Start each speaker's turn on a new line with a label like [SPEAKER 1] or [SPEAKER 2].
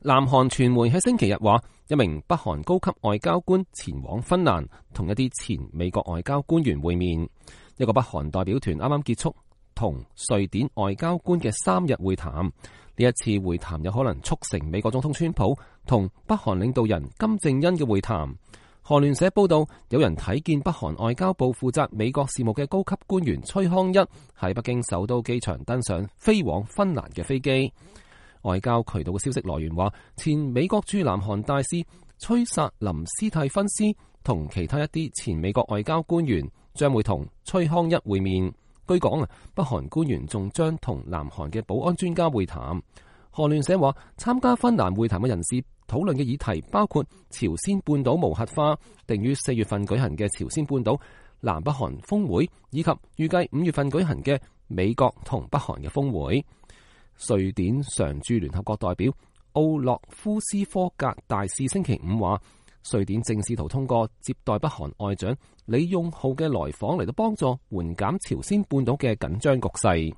[SPEAKER 1] 南韓傳媒喺星期日話，一名北韓高級外交官前往芬蘭，同一啲前美國外交官員會面。一個北韓代表團啱啱結束同瑞典外交官嘅3日會談。呢一次會談有可能促成美國總統川普同北韓領導人金正恩嘅會談。韓聯社報道，有人睇見北韓外交部負責美國事務嘅高級官員崔康一喺北京首都機場登上飛往芬蘭嘅飛機。外交渠道嘅消息來源話，前美國駐南韓大使崔薩林斯蒂芬斯同其他一啲前美國外交官員將會同崔康一會面。據講北韓官員仲將同南韓嘅保安專家會談。韓聯社話，參加芬蘭會談嘅人士討論嘅議題包括朝鮮半島無核化、定於4月份舉行嘅朝鮮半島南北韓峰會，以及預計5月份舉行嘅美國同北韓嘅峰會。瑞典常駐聯合國代表奧洛夫斯科格大使星期五話，瑞典正試圖通過接待北韓外長李用浩嘅來訪嚟到幫助緩減朝鮮半島嘅緊張局勢。